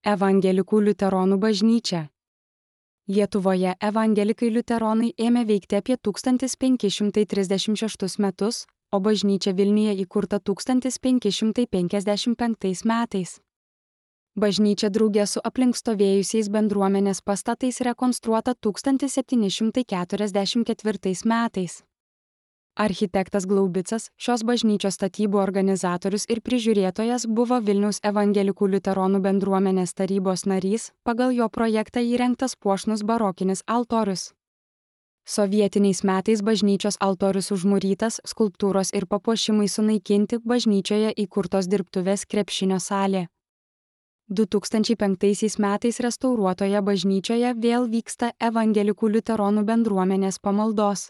Evangelikų liuteronų bažnyčia. Lietuvoje evangelikai liuteronai ėmė veikti apie 1536 metus, o bažnyčia Vilniuje įkurta 1555 metais. Bažnyčia drauge su aplink stovėjusiais bendruomenės pastatais rekonstruota 1744 metais. Architektas Glaubicas, šios bažnyčios statybų organizatorius ir prižiūrėtojas, buvo Vilniaus evangelikų liuteronų bendruomenės tarybos narys, pagal jo projektą įrengtas puošnus barokinis altorius. Sovietiniais metais bažnyčios altorius užmūrytas, skulptūros ir papuošimai sunaikinti, bažnyčioje įkurtos dirbtuvės krepšinio salė. 2005 metais restauruotoje bažnyčioje vėl vyksta evangelikų liuteronų bendruomenės pamaldos.